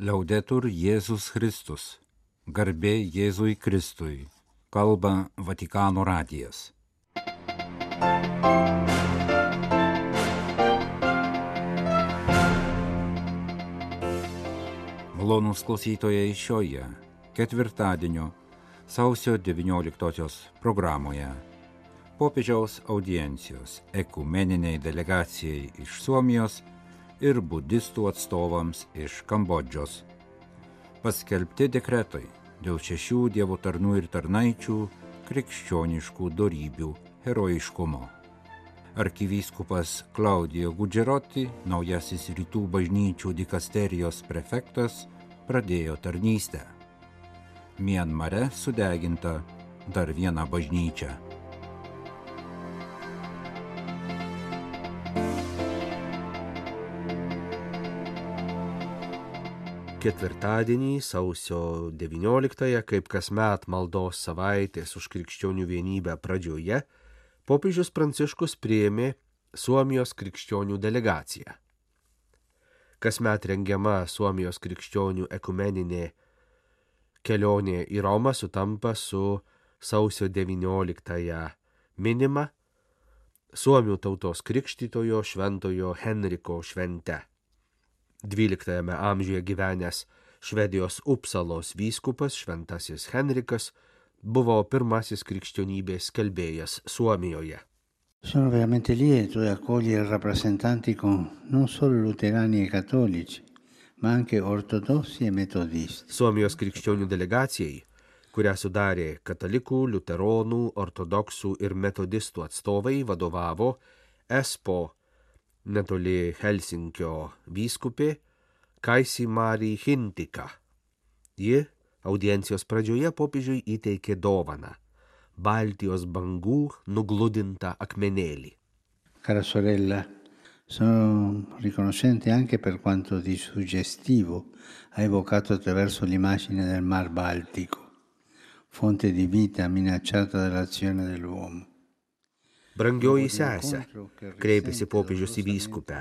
Liaudetur Jėzus Kristus. Garbė Jėzui Kristui. Kalba Vatikano radijas. Malonūs klausytojai šioje ketvirtadienio sausio 19 programoje. Popiežiaus audiencijos ekumeniniai delegacijai iš Suomijos ir budistų atstovams iš Kambodžos. Paskelbti dekretai dėl 6 dievo tarnų ir tarnaičių krikščioniškų dorybių herojiškumo. Arkivyskupas Claudio Gugeroti, naujasis rytų bažnyčių dikasterijos prefektas, pradėjo tarnystę. Mianmare sudeginta dar viena bažnyčia. Ketvirtadienį, sausio 19-ąją, kaip kasmet maldos savaitės už krikščionių vienybę pradžioje, popiežius Pranciškus priėmė Suomijos krikščionių delegaciją. Kasmet rengiama Suomijos krikščionių ekumeninė kelionė į Romą sutampa su sausio 19-ąją minima Suomių tautos krikštytojo šventojo Henriko švente. 12 amžiuje gyvenęs Švedijos Upsalos vyskupas šventasis Henrikas buvo pirmasis krikščionybės skelbėjas Suomijoje. Sono veramente lieto di accogliere rappresentanti non solo luterani e cattolici, ma anche ortodossi e metodisti. Suomijos krikščionių delegacijai, kurią sudarė katalikų, liuteronų, ortodoksų ir metodistų atstovai, vadovavo Espoo netoli Helsinkio vyskupė Kaisi Mari Hintika. Ji audiencijos pradžioje popiežiui įteikė dovaną – Baltijos bangų nugludintą akmenėlį. Cara sorella, sono riconoscente anche per quanto di suggestivo ha evocato attraverso l'immagine del Mar Baltico, fonte di vita minacciata dall'azione dell'uomo. Brangioji sesė, kreipėsi popiežius į vyskupę.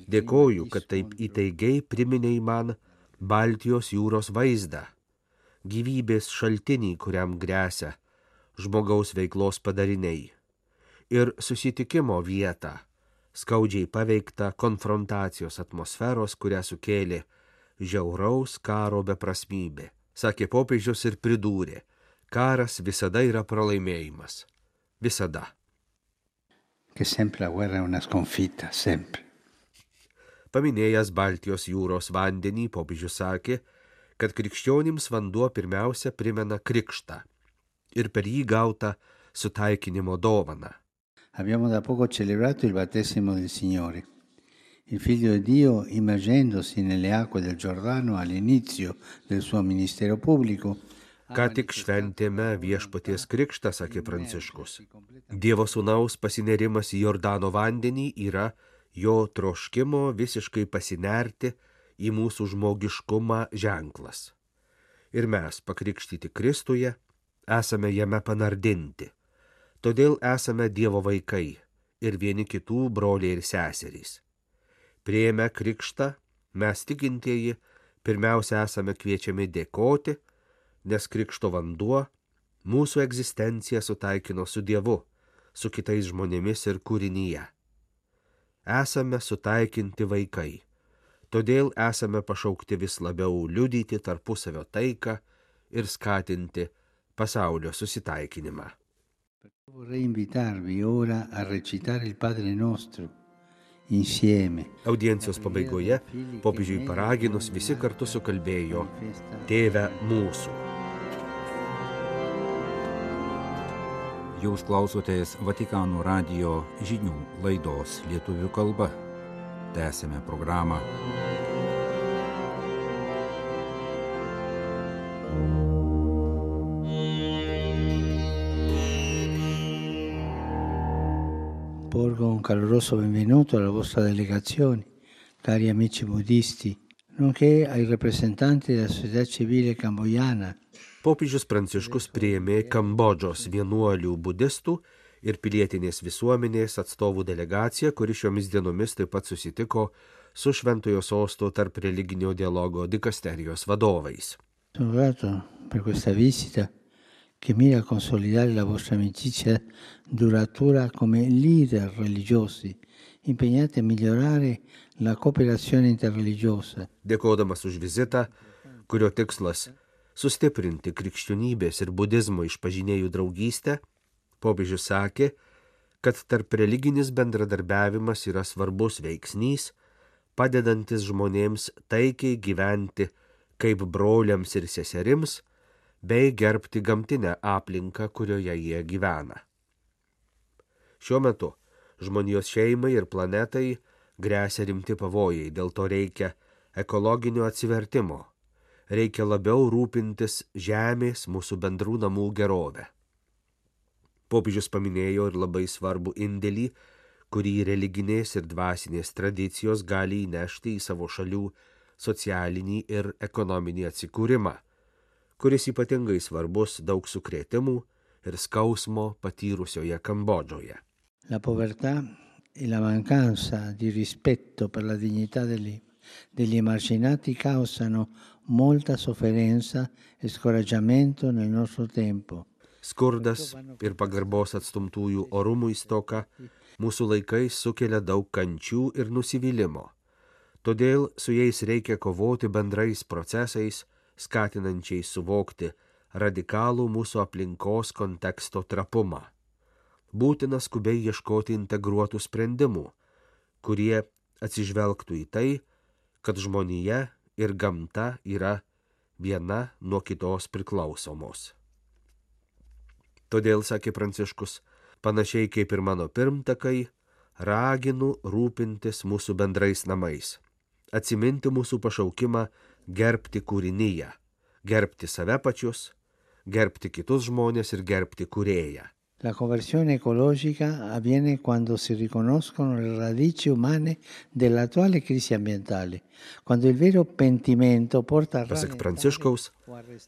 Dėkoju, kad taip įtaigiai priminei man Baltijos jūros vaizdą, gyvybės šaltinį, kuriam gresia žmogaus veiklos padariniai, ir susitikimo vietą, skaudžiai paveiktą konfrontacijos atmosferos, kurią sukėlė žiauraus karo beprasmybė. Sakė popiežius ir pridūrė, karas visada yra pralaimėjimas. Visada. Che sempre la guerra è una sconfitta, sempre. Paminėjęs Baltijos jūros vandenį, popiežius sakė, kad krikščionims vanduo pirmiausia primena krikštą ir per jį gautą sutaikinimo dovaną. Abbiamo da poco celebrato il battesimo del Signore. Il Figlio di Dio, immergendosi nelle acque del Giordano all'inizio del suo ministero pubblico, Ką tik šventėme viešpaties krikštą, sakė Pranciškus. Dievo sūnaus pasinerimas į Jordano vandenį yra jo troškimo visiškai pasinerti į mūsų žmogiškumą ženklas. Ir mes, pakrikštyti Kristuje, esame jame panardinti. Todėl esame Dievo vaikai ir vieni kitų broliai ir seserys. Priėmę krikštą, mes tikintieji, pirmiausia esame kviečiami dėkoti, nes krikšto vanduo mūsų egzistenciją sutaikino su Dievu, su kitais žmonėmis ir kūrinyje. Esame sutaikinti vaikai, todėl esame pašaukti vis labiau liudyti tarpusavio taiką ir skatinti pasaulio susitaikinimą. Vorrei invitarvi ora a recitare il Padre Nostro insieme. Audiencijos pabaigoje popiežiui paraginus visi kartu sukalbėjo Tėve mūsų. Jūs klausotės Vatikano radijo žinių laidos lietuvių kalba. Tęsime programą. Porgo un caloroso benvenuto alla vostra delegazione, cari amici buddisti, nonché ai rappresentanti della società civile cambogiana. Popiežius Pranciškus priėmė Kambodžos vienuolių budistų ir pilietinės visuomenės atstovų delegaciją, kuri šiomis dienomis taip pat susitiko su Šventojo Sosto tarp religinio dialogo dikasterijos vadovais. Sono grato per questa visita che mira a consolidare la vostra amicizia duratura come leader religiosi, impegnati a migliorare la cooperazione interreligiosa. Dėkodamas už vizitą, kurio tikslas sustiprinti krikščionybės ir budizmo išpažinėjų draugystę, popiežius sakė, kad tarp religinis bendradarbiavimas yra svarbus veiksnys, padedantis žmonėms taikiai gyventi kaip broliams ir seserims, bei gerbti gamtinę aplinką, kurioje jie gyvena. Šiuo metu žmonijos šeimai ir planetai gresia rimti pavojai, dėl to reikia ekologinio atsivertimo, reikia labiau rūpintis žemės mūsų bendrų namų gerovę. Popiežius paminėjo ir labai svarbų indėlį, kurį religinės ir dvasinės tradicijos gali įnešti į savo šalių socialinį ir ekonominį atsikūrimą, kuris ypatingai svarbus daug sukrėtimų ir skausmo patyrusioje Kambodžoje. La povertà e la mancanza di rispetto per la dignità degli emarginati causano molta sofferenza e scoraggiamento nel nostro tempo. Skurdas ir pagarbos atstumtųjų orumui stoka mūsų laikais sukelia daug kančių ir nusivylimo. Todėl su jais reikia kovoti bendrais procesais, skatinančiai suvokti radikalų mūsų aplinkos konteksto trapumą. Būtina skubiai ieškoti integruotų sprendimų, kurie atsižvelgtų į tai, kad žmonija ir gamta yra viena nuo kitos priklausomos. Todėl, sakė Pranciškus, panašiai kaip ir mano pirmtakai, raginu rūpintis mūsų bendrais namais, atsiminti mūsų pašaukimą gerbti kūrinyje, gerbti save pačius, gerbti kitus žmonės ir gerbti kūrėją. La conversione ecologica avviene quando si riconoscono le radici umane dell'attuale crisi ambientale, quando il vero pentimento porta a Pasak Pranciškaus,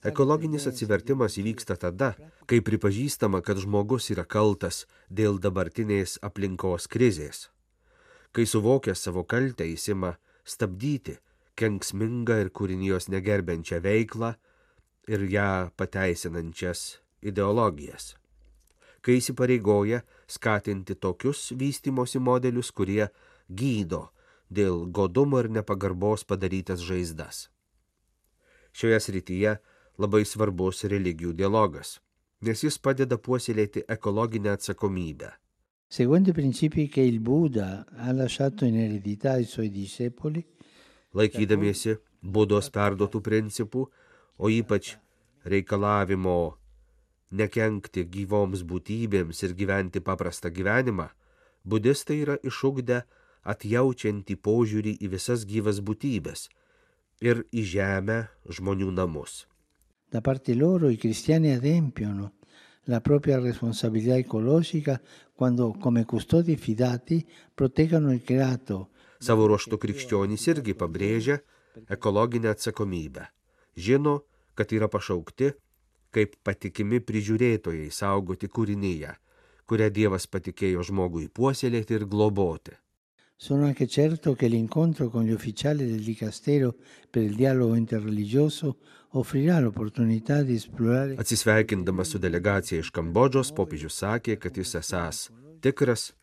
ekologinis atsivertimas įvyksta tada, kai pripažįstama, kad žmogus yra kaltas dėl dabartinės aplinkos krizės. Kai suvokęs savo kaltę jis ima stabdyti kenksmingą ir kūrinijos negerbiančią veiklą ir ją pateisinančias ideologijas. Kai įsipareigoja skatinti tokius vystymosi modelius, kurie gydo dėl godumo ir nepagarbos padarytas žaizdas. Šioje srityje labai svarbus religijų dialogas, nes jis padeda puoselėti ekologinę atsakomybę. Seguendo i principi che il Buddha ha lasciato in eredità ai suoi discepoli, Laikydamiesi Budos perduotų principų, o ypač reikalavimo nekenkti gyvoms būtybėms ir gyventi paprastą gyvenimą, budistai yra išugdę atjaučiantį požiūrį į visas gyvas būtybės ir į žemę, žmonių namus. Da parte loro i cristiani adempiono la propria responsabilità ecologica quando, come custodi fidati, proteggono il creato. Savo ruožtu krikščionys irgi pabrėžia ekologinę atsakomybę. Žino, kad yra pašaukti kaip patikimi prižiūrėtojai saugoti kūrinyje, kurią Dievas patikėjo žmogui puoselėti ir globoti. Sono anche certo che l'incontro con gli ufficiali del Dicastero per il dialogo interreligioso offrirà l'opportunità di esplorare. Atsisveikindamas su delegacija iš Kambodžos, popiežius sakė, kad jis esąs tikras,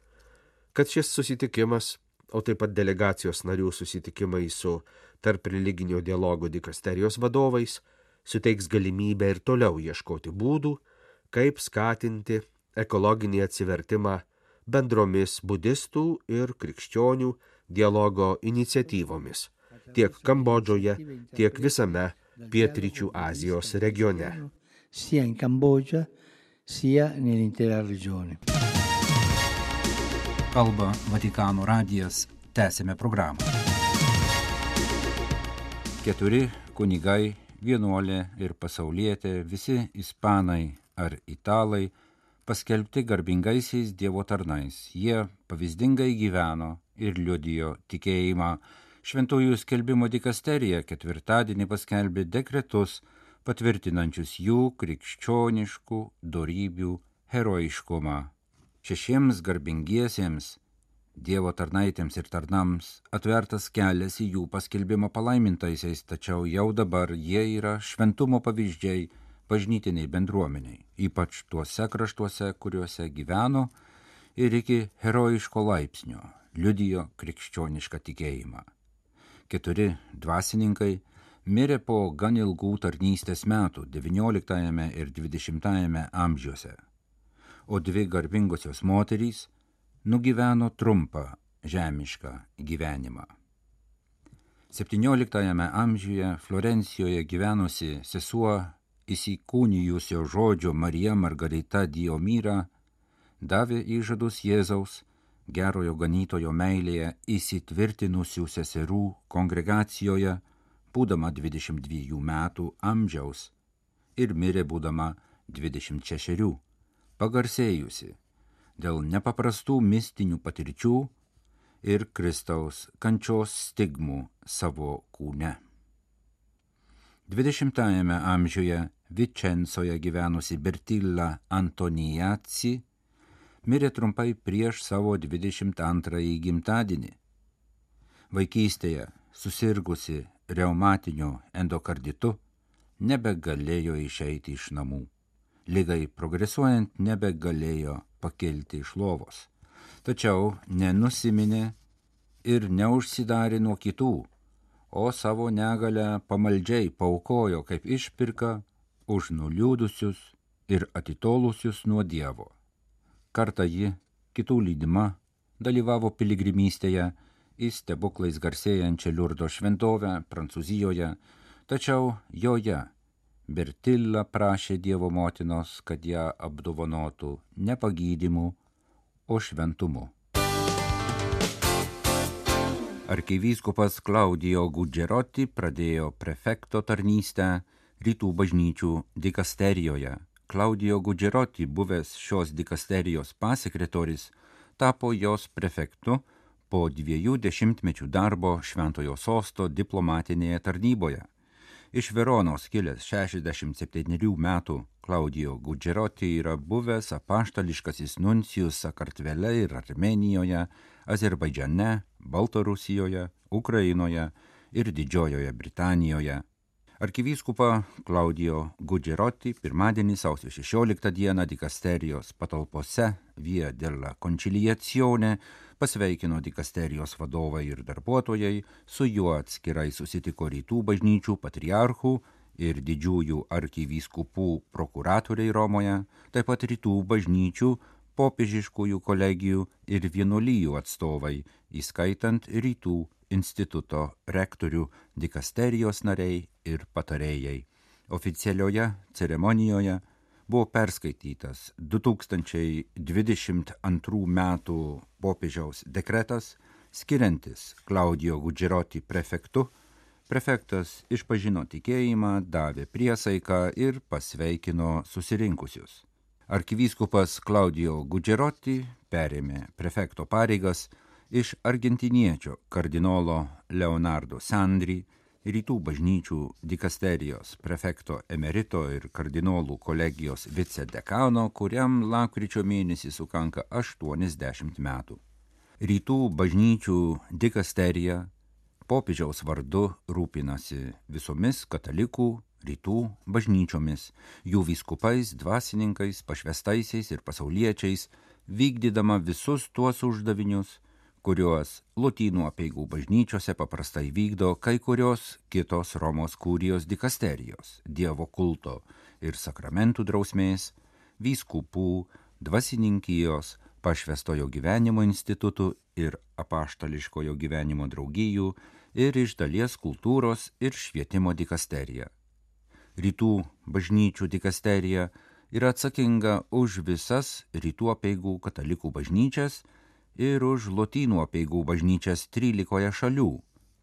kad šis susitikimas, o taip pat delegacijos narių susitikimai su tarp religinio dialogo dikasterijos vadovais, suteiks galimybę ir toliau ieškoti būdų, kaip skatinti ekologinį atsivertimą bendromis budistų ir krikščionių dialogo iniciatyvomis tiek Kambodžoje, tiek visame Pietryčių Azijos regione. Sia in Cambogia, sia nell'intera regione. Kalba Vatikano radijas, tęsėme programą. 4 kunigai, vienuolė ir pasaulietė, visi ispanai ar italai, paskelbti garbingaisiais Dievo tarnais. Jie pavyzdingai gyveno ir liudijo tikėjimą. Šventųjų skelbimo dikasterija ketvirtadienį paskelbė dekretus, patvirtinančius jų krikščioniškų dorybių herojiškumą. 6 garbingiesiems Dievo tarnaitėms ir tarnams atvertas kelias į jų paskelbimo palaimintaisiais, tačiau jau dabar jie yra šventumo pavyzdžiai bažnytiniai bendruomeniai, ypač tuose kraštuose, kuriuose gyveno ir iki herojiško laipsnio liudijo krikščionišką tikėjimą. 4 dvasininkai mirė po gan ilgų tarnystės metų XIX ir XX amžiuose, o 2 garbingosios moterys nugyveno trumpą žemišką gyvenimą. 17 amžiuje Florencijoje gyvenusi sesuo įsikūnijusio žodžio Marija Margarita Diomira davė įžadus Jėzaus gerojo ganytojo meilėje įsitvirtinusių seserų kongregacijoje, būdama 22 metų amžiaus ir mirė būdama 26, pagarsėjusi dėl nepaprastų mistinių patirčių ir Kristaus kančios stigmų savo kūne. 20 amžiuje Vičencoje gyvenusi Bertilla Antoniazzi mirė trumpai prieš savo 22 gimtadienį. Vaikystėje susirgusi reumatiniu endokarditu nebegalėjo išeiti iš namų. Ligai progresuojant nebegalėjo pakilti iš lovos. Tačiau nenusiminė ir neužsidarė nuo kitų, o savo negalę pamaldžiai paaukojo kaip išpirką už nuliūdusius ir atitolusius nuo Dievo. Kartą ji, kitų lydima, dalyvavo piligrimystėje į stebuklais garsėjančią Liurdo šventovę Prancūzijoje, tačiau joje Bertilla prašė Dievo motinos, kad ją apdovanotų ne pagydymu, o šventumu. Arkivyskupas Claudio Gugerotti pradėjo prefekto tarnystę Rytų bažnyčių dikasterijoje. Claudio Gugerotti, buvęs šios dikasterijos pasekretorius, tapo jos prefektu po 2 dešimtmečių darbo Šventojo Sosto diplomatinėje tarnyboje. Iš Veronos kilęs 67 metų Claudio Gugerotti yra buvęs apaštališkasis nuncijus Sakartvele ir Armėnijoje, Azerbaidžane, Baltarusijoje, Ukrainoje ir Didžiojoje Britanijoje. Arkivyskupą Claudio Gugerotti pirmadienį sausio 16 dieną dikasterijos patalpose Via della Conciliazione pasveikino dikasterijos vadovai ir darbuotojai, su juo atskirai susitiko Rytų bažnyčių patriarchų ir didžiųjų arkivyskupų prokuratoriai Romoje, taip pat Rytų bažnyčių, popiežiškųjų kolegijų ir vienuolijų atstovai, įskaitant Rytų instituto rektorių, dikasterijos nariai ir patarėjai. Oficialioje ceremonijoje buvo perskaitytas 2022 metų popiežiaus dekretas, skiriantis Claudio Gugerotti prefektu. Prefektas išpažino tikėjimą, davė priesaiką ir pasveikino susirinkusius. Arkivyskupas Claudio Gugerotti perėmė prefekto pareigas iš argentiniečio kardinolo Leonardo Sandri, Rytų bažnyčių dikasterijos prefekto emerito ir kardinolų kolegijos vicedekano, kuriam lapkričio mėnesį sukanka 80 metų. Rytų bažnyčių dikasterija popiežiaus vardu rūpinasi visomis katalikų rytų bažnyčiomis, jų vyskupais, dvasininkais, pašvestaisiais ir pasauliečiais, vykdydama visus tuos uždavinius, kuriuos Lotynų apeigų bažnyčiose paprastai vykdo kai kurios kitos Romos kurijos dikasterijos, Dievo kulto ir sakramentų drausmės, vyskupų, dvasininkijos, pašvestojo gyvenimo institutų ir apaštališkojo gyvenimo draugijų ir iš dalies kultūros ir švietimo dikasterija. Rytų bažnyčių dikasterija yra atsakinga už visas rytų apeigų katalikų bažnyčias ir už Lotynų apeigų bažnyčias 13 šalių,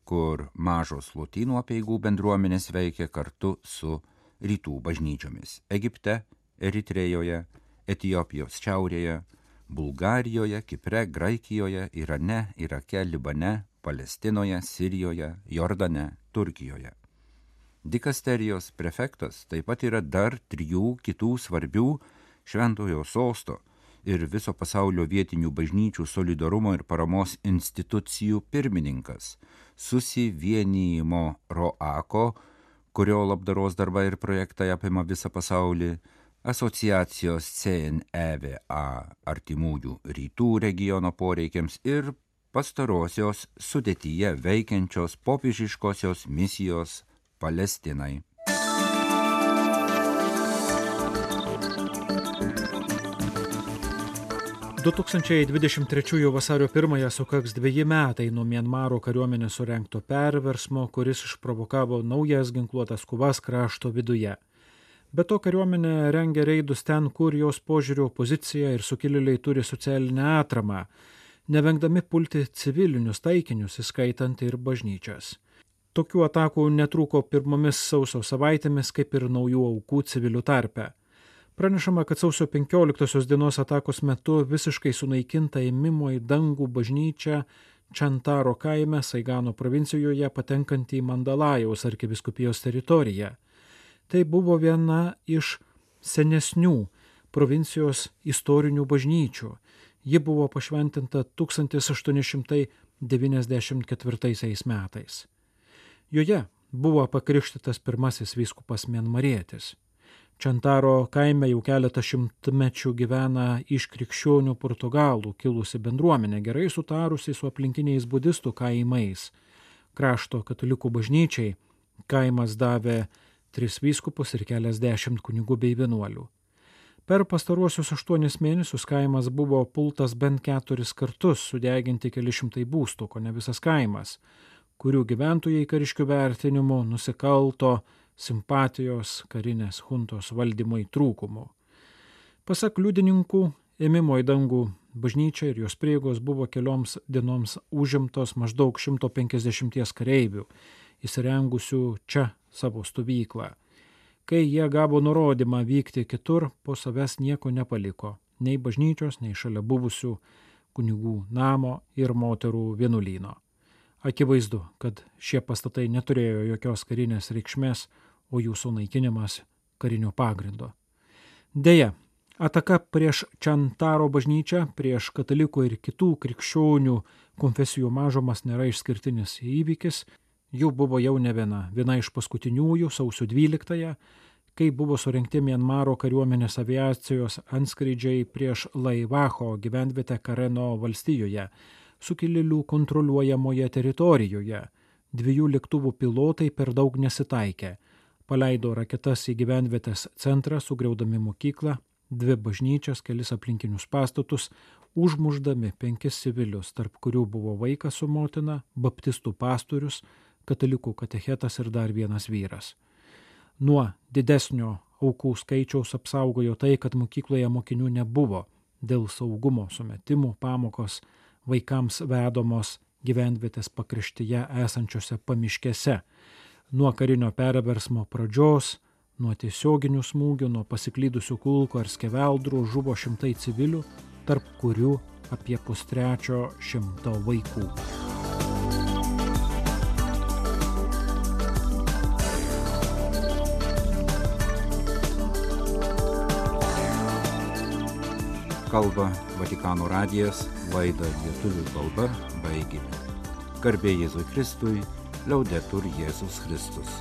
kur mažos Lotynų apeigų bendruomenės veikia kartu su rytų bažnyčiomis – Egipte, Eritrėjoje, Etiopijos šiaurėje, Bulgarijoje, Kipre, Graikijoje, Irane, Irake, Libane, Palestinoje, Sirijoje, Jordane, Turkijoje. Dikasterijos prefektas taip pat yra dar 3 kitų svarbių Šventojo Sosto ir viso pasaulio vietinių bažnyčių solidarumo ir paramos institucijų pirmininkas, Susivienijimo ROACO, kurio labdaros darbai ir projektai apima visą pasaulį, asociacijos CNEVA artimųjų rytų regiono poreikiams ir pastarosios sudėtyje veikiančios popiežiškosios misijos Palestinai. – 2023 vasario 1 sukaks 2 metai nuo Mianmaro kariuomenės surengto perversmo, kuris išprovokavo naujas ginkluotas kovas krašto viduje. Be to kariuomenė rengia reidus ten, kur jos požiūrio opozicija ir sukilėliai turi socialinę atramą, nevengdami pulti civilinius taikinius, įskaitant ir bažnyčias. Tokių atakų netrūko pirmomis sausio savaitėmis, kaip ir naujų aukų civilių tarpe. Pranešama, kad sausio 15 dienos atakos metu visiškai sunaikinta ėmimo į dangų bažnyčią Čantaro kaime Saigano provincijoje patenkantį į Mandalajaus arkivyskupijos teritoriją. Tai buvo viena iš senesnių provincijos istorinių bažnyčių. Ji buvo pašventinta 1894 metais. Joje buvo pakrikštytas pirmasis vyskupas mianmarietis. Čantaro kaime jau keletą šimtmečių gyvena iš krikščionių portugalų kilusi bendruomenė, gerai sutarusi su aplinkiniais budistų kaimais. Krašto katalikų bažnyčiai kaimas davė 3 vyskupus ir keliasdešimt kunigų bei vienuolių. Per pastaruosius 8 mėnesius kaimas buvo pultas bent 4 kartus, sudeginti keli šimtai būstų, ko ne visas kaimas, kurių gyventojai kariškių vertinimu nusikalto simpatijos karinės huntos valdymui trūkumų. Pasak liudininkų, ėmimo į dangų bažnyčia ir jos prieigos buvo kelioms dienoms užimtos maždaug 150 kareivių, įsirengusių čia savo stovyklą. Kai jie gavo nurodymą vykti kitur, po savęs nieko nepaliko, nei bažnyčios, nei šalia buvusių kunigų namo ir moterų vienuolyno. Akivaizdu, kad šie pastatai neturėjo jokios karinės reikšmės, o jų sunaikinimas karinio pagrindo. Deja, ataka prieš Čantaro bažnyčią, prieš katalikų ir kitų krikščionių konfesijų mažumas nėra išskirtinis įvykis, jų buvo jau ne viena. Viena iš paskutiniųjų sausio 12-ąją, kai buvo surengti Mianmaro kariuomenės aviacijos antskrydžiai prieš Laivacho gyvenvietę Kareno valstijoje, sukilėlių kontroliuojamoje teritorijoje. 2 lėktuvų pilotai per daug nesitaikė. Paleido raketas į gyvenvietės centrą, sugriaudami mokyklą, 2 bažnyčias, kelis aplinkinius pastatus, užmušdami 5 civilius, tarp kurių buvo vaikas su motina, baptistų pastorius, katalikų katechetas ir dar vienas vyras. Nuo didesnio aukų skaičiaus apsaugojo tai, kad mokykloje mokinių nebuvo. Dėl saugumo sumetimų pamokos vaikams vedomos gyvenvietės pakraštyje esančiose pamiškėse. Nuo karinio perversmo pradžios, nuo tiesioginių smūgių, nuo pasiklydusių kulkų ar skeveldrų žuvo šimtai civilių, tarp kurių apie 100 vaikų. Kalba Vatikano radijas, laidą lietuvių kalba baigėme. Garbė Jėzui Kristui, Laudetur Jėzus Kristus.